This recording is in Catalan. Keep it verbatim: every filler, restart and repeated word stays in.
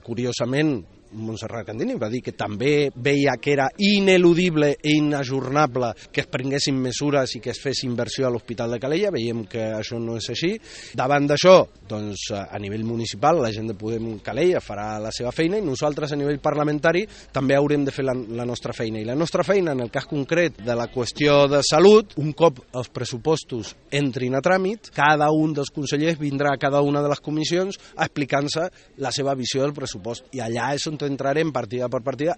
Curiosament, Montserrat Candini va dir que també veia que era ineludible i inajornable que es prenguessin mesures i que es fes inversió a l'Hospital de Calella. Veiem que això no és així. Davant d'això, doncs, a nivell municipal, la gent de Podem Calella farà la seva feina i nosaltres a nivell parlamentari també haurem de fer la, la nostra feina. I la nostra feina, en el cas concret de la qüestió de salut, un cop els pressupostos entrin a tràmit, cada un dels consellers vindrà a cada una de les comissions explicant-se la seva visió del pressupost. I allà és on entrarem partida per partida